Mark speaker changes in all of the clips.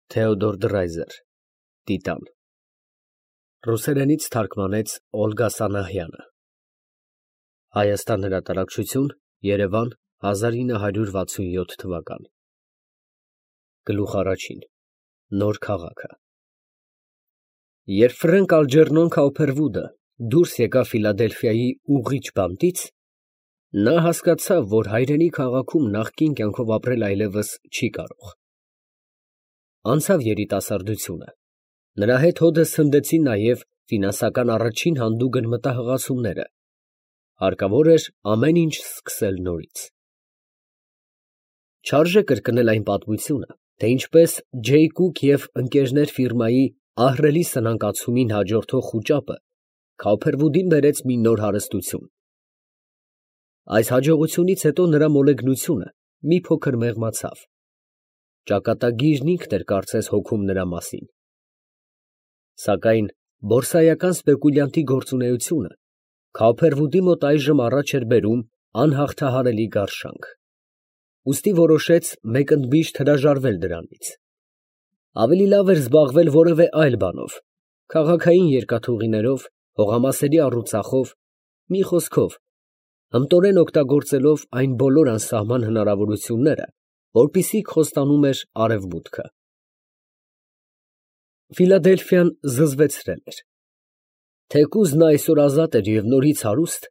Speaker 1: Թեոդոր Դրայզեր, Տիտան, ռուսերենից թարգմանեց Օլգա Սանահյանը, Հայաստան հրատարակչություն, Երևան, 1967 թվական, Գլուխ առաջին, Նոր քաղաքը։ Երբ Ֆրենկ Ալջերնոն Քաուփերվուդը դուրս եկավ Ֆիլադելֆիայի ուղղիչ բանտից, նա հասկացավ, որ հայրենի քաղաքում նախկին կյանքով ապրել այլևս չի կարող։ Անցավ երիտասարդությունը, նրա հետ հօդս հնդեցին նաև ֆինանսական առաջին հանդուգն մտահղացումները, հարկավոր էր ամեն ինչ սկսել նորից։ Չարժե կրկնել այն պատմությունը, թե ինչպես Ջեյ Կուք և ընկերներ ֆիրմայի ահռելի սնանկացումին հաջորդող խուճապը Քաուփերվուդին բերեց մի նոր հարստություն։ Այս հաջողությունից հետո նրա մոլեգնությունը մի փոքր մեղմացավ։ Ճակատագիրն ինքն էր կարծես հոգում նրա մասին։ Սակայն բորսայական սպեկուլյանտի գործունեությունը Քաուփերվուդի մոտ այժմ առաջ էր բերում անհաղթահարելի գարշանք։ Ուստի որոշեց մեկընդմիշտ հրաժարվել դրանից։ Ավելի լավ էր զբաղվել որևէ այլ բանով, քաղաքային երկաթուղիներով, հողամասերի առուծախով, մի խոսքով, հմտորեն օգտագործելով այն բոլոր անսահման հնարավորությունները, որպիսզի խոստանում էր արևմուտքը։ Ֆիլադելֆիան զզվեցրել էր։ Թեկուզ նա այսօր ազատ էր և նորից հարուստ,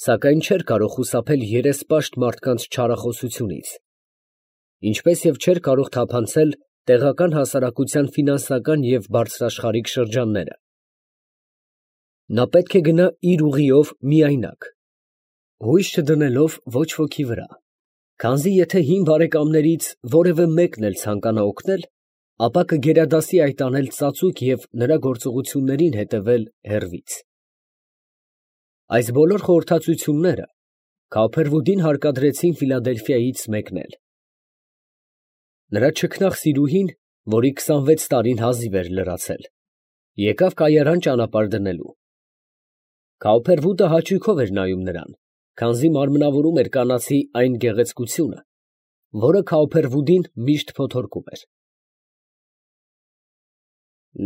Speaker 1: սակայն չէր կարող խուսափել երեսպաշտ մարդկանց չարախոսությունից, ինչպես և չէր կարող թափանցել տեղական հասարակության ֆինանսական և բարձրաշխարհիկ շրջանները։ Նա պետք է գնա իր ուղիով միայնակ, հույս չդնելով ոչ ոքի վրա, քանզի եթե հին բարեկամներից որևէ մեկն էլ ցանկանա օգնել, ապա կգերադասի այդ անել ծածուկ և նրա գործողություններին հետևել հեռվից։ Այս բոլոր խորհրդածությունները Քաուփերվուդին հարկադրեցին Ֆիլադելֆիայից մեկնել։ Նրա չքնաղ սիրուհին, որի 26 տարին հազիվ էր լրացել, եկավ կայարան ճանապարհ դնելու։ Քաուփերվուդը հաճույքով էր նայում նրան, քանզի մարմնավորում էր կանացի այն գեղեցկությունը, որը Քաուփերվուդին միշտ փոթորկում էր։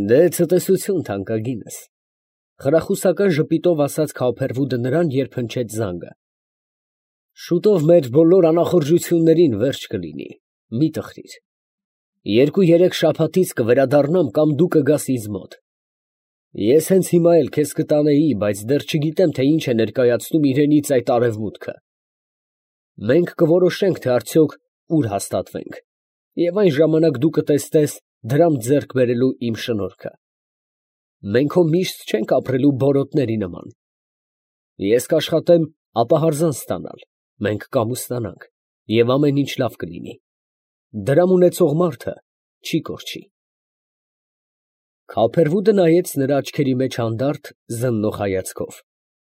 Speaker 1: Դե ցտեսություն, թանկագինս, խրախուսական ժպիտով ասաց Քաուփերվուդը նրան, երբ հնչեց զանգը։ Շուտով մեր բոլոր անախորժություններին վերջ կլինի, մի տխրիր։ 2-3 շաբաթից կվերադառնամ կամ դու կգաս ինձ մոտ։ Ես հենց հիմա էլ քեզ կտանեի, բայց դեռ չգիտեմ, թե ինչ է ներկայացնում իրենից այդ արևմուտքը։ Մենք կորոշենք, թե արդյոք ուր հաստատվենք, և այն ժամանակ դու կտեսնես դրամ ձեռք բերելու իմ շնորհքը։ Մենք հո միշտ չենք ապրելու բորոտների նման։ Ես կաշխատեմ ապահարզան ստանալ, մենք կամուսնանանք, և ամեն ինչ լավ կլինի։ Դրամ ունեցող մարդը չի կորչի։ Քաուփերվուդը նայեց նրա աչքերի մեջ հանդարտ, զննող հայացքով,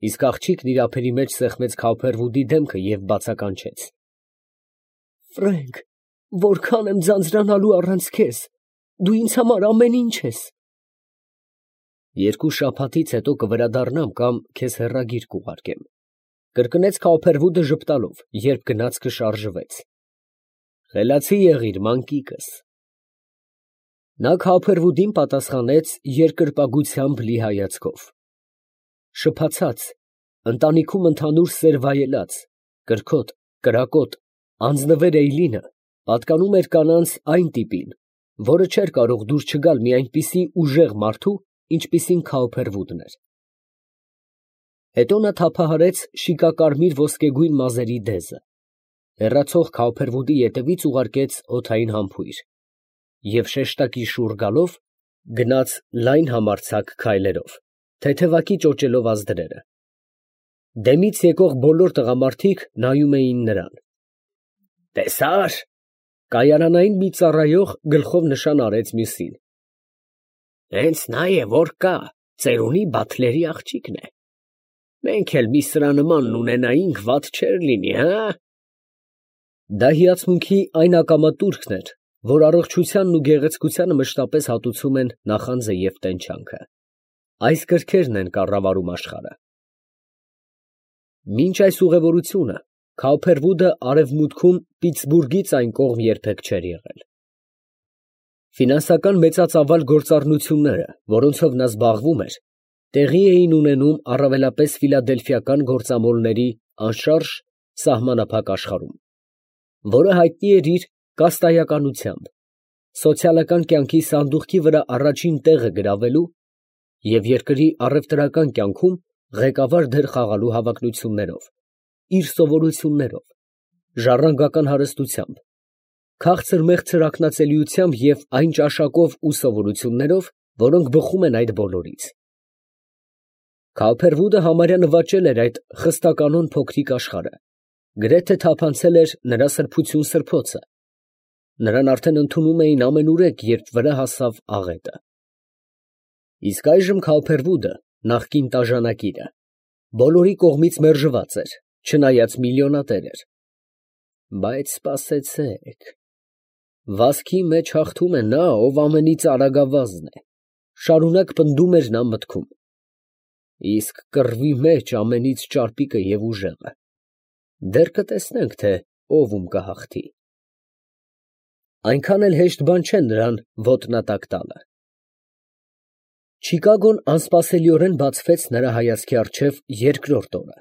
Speaker 1: իսկ աղջիկն իր ափերի մեջ սեղմեց Քաուփերվուդի դեմքը և բացականչեց. Ֆրենկ, որքան եմ ձանձրանալու առանց քեզ, դու ինձ համար ամեն ինչ ես։ 2 շաբաթից հետո կվերադառնամ կամ քեզ հեռագիր կուղարկեմ, կրկնեց Քաուփերվուդը ժպտալով, երբ գնացքը շարժվեց։ Խելացի եղիր, մանկիկս։ Նա Քաուփերվուդին պատասխանեց երկրպագությամբ լի հայացքով։ Շփացած, ընտանիքում ընդհանուր սեր վայելած, կրքոտ, կրակոտ, անձնվեր Էյլինը պատկանում էր կանանց այն տիպին, որը չէր կարող դուր չգալ մի այնպիսի ուժեղ մարդու, ինչպիսին Քաուփերվուդն էր։ Հետո նա թափահարեց շիկակարմիր ոսկեգույն մազերի դեզը, հեռացող Քաուփերվուդի ետևից ուղարկեց օդային համբույր և շեշտակի շուռ գալով գնաց լայն համարձակ քայլերով, թեթևակի ճոճելով ազդրերը։ Դեմից եկող բոլոր տղամարդիկ նայում էին նրան։ Տեսա՞ր։ Կայարանային մի ծառայող գլխով նշան արեց մյուսին։ Հենց նա է, որ կա, ծերունի Բաթլերի աղջիկն է։ Մենք էլ մի սրա նմանն ունենայինք, վատ չէր լինի, հա։ Դա հիացմունքի այն ակամատուրքն էր, որ առողջությանն ու գեղեցկությանը մշտապես հատուցում են նախանձը և տենչանքը։ Այս կրքերն են կառավարում աշխարհը։ Մինչ այս ուղևորությունը Քաուփերվուդը արևմուտքում Պիտսբուրգից այն կողմ երբեք չէր եղել։ Ֆինանսական մեծածավալ գործառնությունները, որոնցով նա զբաղվում էր, տեղի էին ունենում առավելապես ֆիլադելֆիական գործամոլների անշարժ սահմանափակ աշխարհում, որը հայտնի էր իր կաստայականությամբ, սոցիալական կյանքի սանդուղքի վրա առաջին տեղը գրավելու և երկրի առևտրական կյանքում ղեկավար դեր խաղալու հավակնություններով, իր սովորություններով, ժառանգական հարստությամբ, քաղցր֊մեղցր ակնածելիությամբ և այն ճաշակով ու սովորություններով, որոնք բխում են այդ բոլորից։ Քալփերվուդը համարյա նվաճել էր այդ խստականոն փոքրիկ աշխարհը, գրեթե թափանցել էր նրա սրբություն սրբոցը, նրան արդեն ընդունում էին ամենուրեք, երբ վրա հասավ աղետը։ Իսկ այժմ Քալփերվուդը, նախկին տաժանակիրը, բոլորի կողմից մերժված էր, չնայած միլիոնատեր էր։ Բայց սպասեցեք, վազքի մեջ հաղթում է նա, ով ամենից արագավազն է, շարունակ պնդում էր նա մտքում, իսկ կռվի մեջ ամենից ճարպիկը և ուժեղը, դեռ կտեսնենք, թե ով ում կհաղթի։ Այնքան էլ հեշտ բան չէ նրան ոտնատակ տալը։ Չիկագոն անսպասելիորեն բացվեց նրա հայացքի առջև երկրորդ օրը։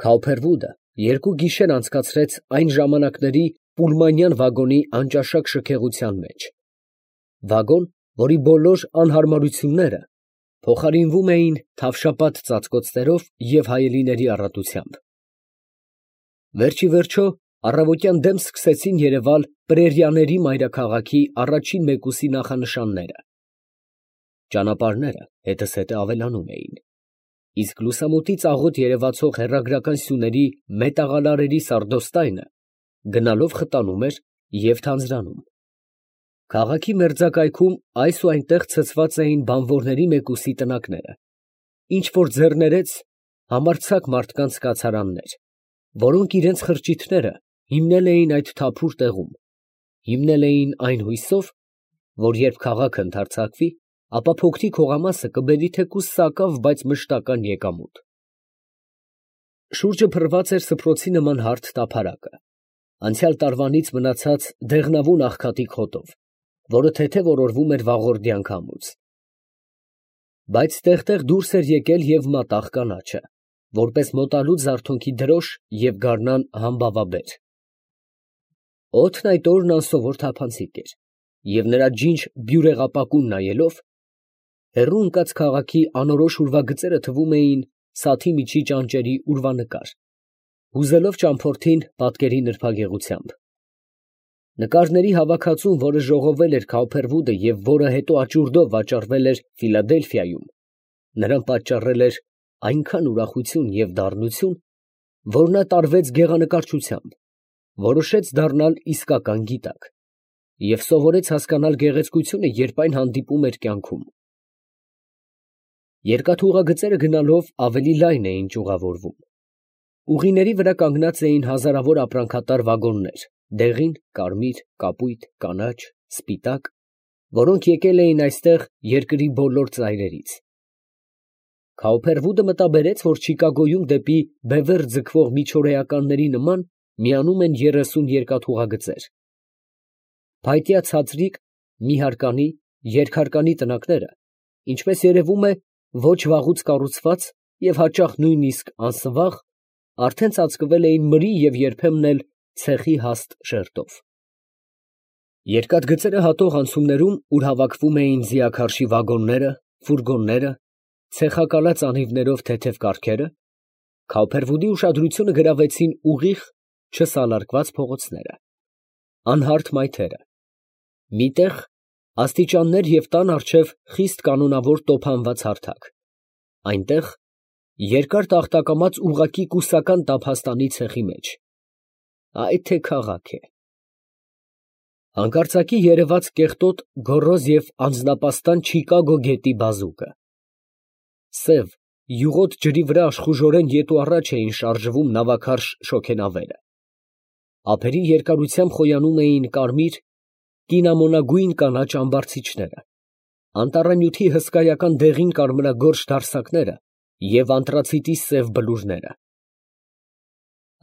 Speaker 1: Քալփերվուդը 2 գիշեր անցկացրեց այն ժամանակների պուլմանյան վագոնի անճաշակ շքեղության մեջ, վագոն, որի բոլոր անհարմարությունները փոխարինվում էին թավշապատ ծածկոցներով և հայելիների առատությամբ։ Վերջիվերջո առավոտյան դեմ սկսեցին երևալ պրերիաների մայրաքաղաքի առաջին մեկուսի նախանշանները։ Ճանապարհները հետզհետե ավելանում էին, իսկ լուսամուտից աղոտ երևացող հեռագրական սյուների մետաղալարերի սարդոստայնը գնալով խտանում էր և թանձրանում։ Քաղաքի մերձակայքում այս ու այնտեղ ցցված էին բանվորների մեկուսի տնակները, ինչ֊որ ձեռներեց համարձակ մարդկանց կացարաններ, որոնք իրենց խրճիթները հիմնել էին այդ թափուր տեղում, հիմնել էին այն հույսով, որ երբ քաղաքը ընդարձակվի, ապա փոքրիկ հողամասը կբերի թեկուզ սակավ, բայց մշտական եկամուտ։ Շուրջը փռված էր սփռոցի նման հարթ տափարակը, անցյալ տարվանից մնացած դեղնավուն աղքատիկ հոտով, որը թեթև օրորվում էր վաղորդյան քամուց։ Բայց տեղ֊տեղ դուրս էր եկել և մատաղ կանաչը, որպես մոտալու զարթոնքի դրոշ և գարնան համբավաբեր։ Օդն այդ օրն անսովոր թափանցիկ էր, և նրա ջինջ բյուրեղապակուն նայելով, հեռու ընկած քաղաքի անորոշ ուրվագծերը թվում էին սաթի միջի ճանճերի ուրվանկար, հուզելով ճամփորդին պատկերի նրբագեղությամբ։ Նկարների հավաքածուն, որը ժողովել էր Քալփերվուդը և որը հետո աճուրդով վաճառվել էր Ֆիլադելֆիայում, նրան պատճառել էր այնքան ուրախություն և դառնություն, որ նա տարվեց գեղանկարչությամբ, որոշեց դառնալ իսկական գիտակ և սովորեց հասկանալ գեղեցկությունը, երբ այն հանդիպում էր կյանքում։ Երկաթուղագծերը գնալով ավելի լայն էին ճյուղավորվում։ Ուղիների վրա կանգնած էին հազարավոր ապրանքատար վագոններ, դեղին, կարմիր, կապույտ, կանաչ, սպիտակ, որոնք եկել էին այստեղ երկրի բոլոր ծայրերից։ Քալփերվուդը մտաբերեց, որ Չիկագոյում դեպի բևեռ ձգվող միջօրեականների նման միանում են 30 երկաթուղագծեր։ Փայտյա ցածրիկ, միհարկանի, երկհարկանի տնակները, ինչպես երևում է, ոչ վաղուց կառուցված և հաճախ նույնիսկ անսվաղ, արդեն ծածկվել էին մրի և երբեմն էլ ցեխի հաստ շերտով։ Երկաթգծերը հատող անցումներում, ուր հավաքվում էին ձիաքարշի վագոնները, ֆուրգոնները, ցեխակալած անիվներով թեթև կառքերը, Քալփերվուդի ուշադրությունը գրավեցին ուղիղ, չսալարկված փողոցները, անհարթ մայթերը, մի տեղ աստիճաններ և տան առջև խիստ կանոնավոր տոփանված հարթակ, այնտեղ երկար տախտակամած ուղղակի կուսական տափաստանի ցեխի մեջ։ Այ թե քաղաք է։ Հանկարծակի երևաց կեղտոտ, գոռոզ և անձնապաստան Չիկագո գետի բազուկը։ Սև, յուղոտ ջրի վրա աշխուժորեն ետ ու առաջ էին շարժվում նավաքարշ շոգենավերը։ Ափերի երկարությամբ խոյանում էին կարմիր, կինամոնագույն կանաչ ամբարձիչները, անտառանյութի հսկայական դեղին կարմրագորշ դարսակները և անտրացիտի սև բլուրները։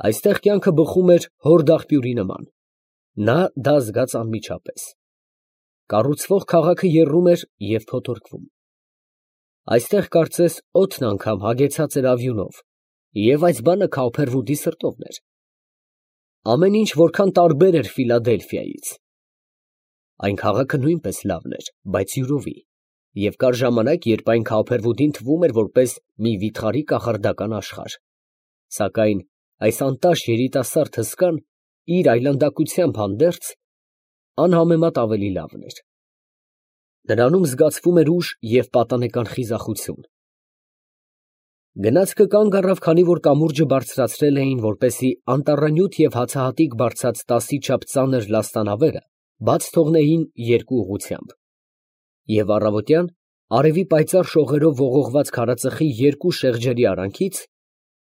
Speaker 1: Այստեղ կյանքը բխում էր հորդ աղբյուրի նման, նա դա զգաց անմիջապես։ Կառուցվող քաղաքը եռում էր և փոթորկվում։ Այստեղ կարծես օդն անգամ հագեցած էր ավյունով, և այս բանը Քաուփերվուդի սրտովն էր։ Ամեն ինչ որքան տարբեր էր Ֆիլադելֆիայից։ Այն քաղաքը նույնպես լավն էր, բայց յուրովի, և կար ժամանակ, երբ այն Քաուփերվուդին թվում էր որպես մի վիթխարի կախարդական աշխարհ, սակայն այս անտաշ երիտասարդ հսկան իր այլանդակությամբ հանդերձ անհամեմատ ավելի լավն էր։ Նրանում զգացվում էր ուժ և պատանեկան խիզախություն։ Գնացքը կանգ առավ, քանի որ կամուրջը բարձրացրել էին, որպեսզի անտառանյութ և հացահատիկ բարձած 10-ի չափ ծանր լաստանավերը բաց թողնեին երկու ուղղությամբ, և առավոտյան, արևի պայծառ շողերով ողողված քարածխի երկու շեղջերի արանքից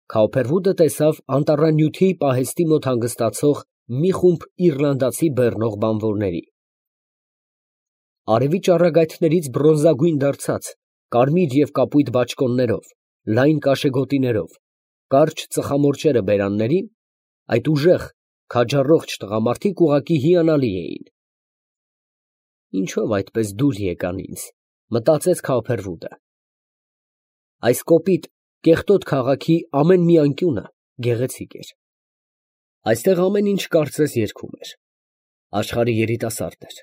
Speaker 1: Քաուփերվուդը տեսավ անտառանյութի պահեստի մոտ հանգստացող մի խումբ իռլանդացի բեռնող բանվորների։ Արևի ճառագայթներից բրոնզագույն դարձած, կարմիր և կապույտ բաճկոններով, լայն կաշեգոտիներով, կարճ ծխամորճերը բերաններին, այդ ուժեղ, քաջառողջ տղամարդիկ ուղղակի հիանալի էին։ Ինչո՞վ այդպես դուր եկան ինձ, մտածեց Քաուփերվուդը։ Այս կոպիտ, կեղտոտ քաղաքի ամեն մի անկյունը գեղեցիկ էր։ Այստեղ ամեն ինչ կարծես երգում էր։ Աշխարհը երիտասարդ էր։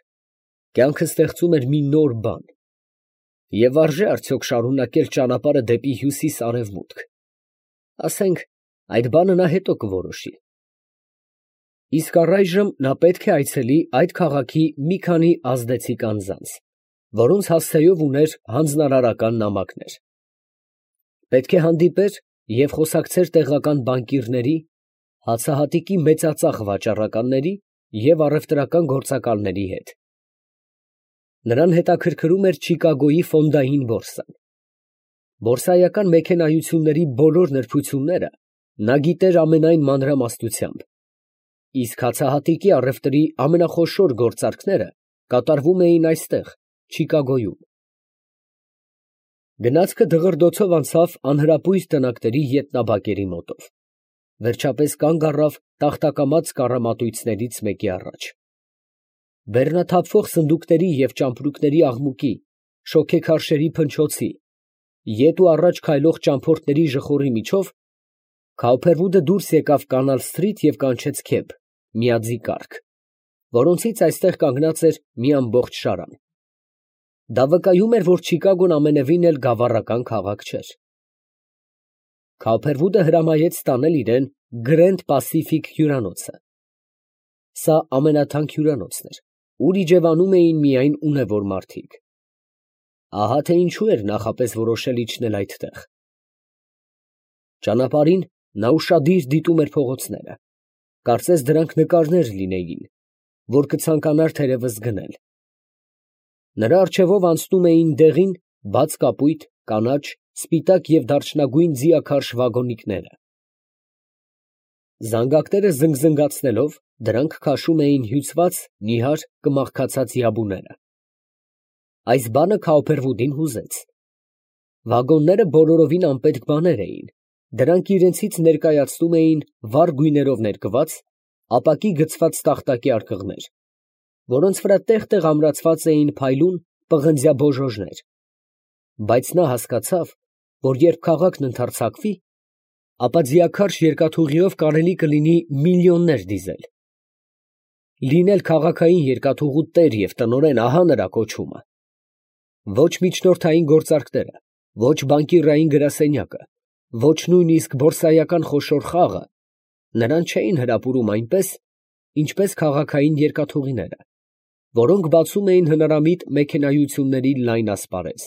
Speaker 1: Կյանքը ստեղծում էր մի նոր բան։ Եվ արժե՞ արդյոք շարունակել ճանապարհը դեպի հյուսիս֊արևմուտք։ Ասենք, այդ բանը նա հետո կորոշի։ Իսկ առայժմ նա պետք է այցելի այդ քաղաքի մի քանի ազդեցիկ անձանց, որոնց հասցեով ուներ հանձնարարական նամակներ։ Պետք է հանդիպեր և խոսակցեր տեղական բանկիրների, հացահատիկի մեծածախ վաճառականների և առևտրական գործակալների հետ։ Նրան հետաքրքրում էր Չիկագոյի ֆոնդային բորսան։ Բորսայական մեքենայությունների բոլոր նրբությունները նա գիտեր ամենայն մանրամասնությամբ, իսկ հացահատիկի առևտրի ամենախոշոր գործարքները կատարվում էին այստեղ, Չիկագոյում։ Գնացքը դղրդոցով անցավ անհրապույր տնակների ետնաբակերի մոտով, վերջապես կանգ առավ տախտակամաց կառամատույցներից մեկի առաջ։ Բեռնաթափվող սնդուկների և ճամպրուկների աղմուկի, շոգեքարշերի փնչոցի, ետ ու առաջ քայլող ճամփորդների ժխորի միջով Քաուփերվուդը դուրս եկավ Կանալ սթրիթ և կանչեց քեբ, միաձի կառք, որոնցից այստեղ կանգնած էր մի ամբողջ շարան։ Դա վկայում էր, որ Չիկագոն ամենևին էլ գավառական քաղաք չէր։ Քաուփերվուդը հրամայեց տանել իրան Գրենդ Պասիֆիկ հյուրանոցը։ Սա ամենաթանկ հյուրանոցն էր, ուր իջևանում էին միայն ունևոր մարդիկ։ Ահա թե ինչու էր նախապես որոշել իջնել այդտեղ։ Ճանապարհին նա ուշադիր դիտում էր փողոցները, կարծես դրանք նկարներ լինեին, որ կցանկանար թերևս գնել։ Նրա առջևով անցնում էին դեղին, բաց կապույտ, կանաչ, սպիտակ և դարչնագույն ձիաքարշ վագոնիկները։ Զանգակները զնգզնգացնելով, դրանք քաշում էին հյուծված, նիհար, կմախքացած յաբուները։ Այս բանը Քաուփերվուդին հուզեց։ Վագոնները բոլորովին անպետք բաներ էին, դրանք իրենցից ներկայացնում էին վառ գույներով ներկված, ապակի գցված տախտակի արկղներ, որոնց վրա տեղ֊տեղ ամրացված էին փայլուն, պղնձյա բոժոժներ, բայց նա հասկացավ, որ երբ քաղաքն ընդարձակվի, ապա ձիաքարշ երկաթուղիով կարելի կլինի միլիոններ դիզել։ Լինել քաղաքային երկաթուղու տեր և տնօրեն, ահա նրա կոչումը։ Ոչ միջնորդային գործարքները, ոչ բանկիրային գրասենյակը, ոչ նույնիսկ բորսայական խոշոր խաղը նրան չէին հրապուրում այնպես, ինչպես քաղաքային երկաթուղիները, որոնք բացում էին հնարամիտ մեքենայությունների լայն ասպարեզ։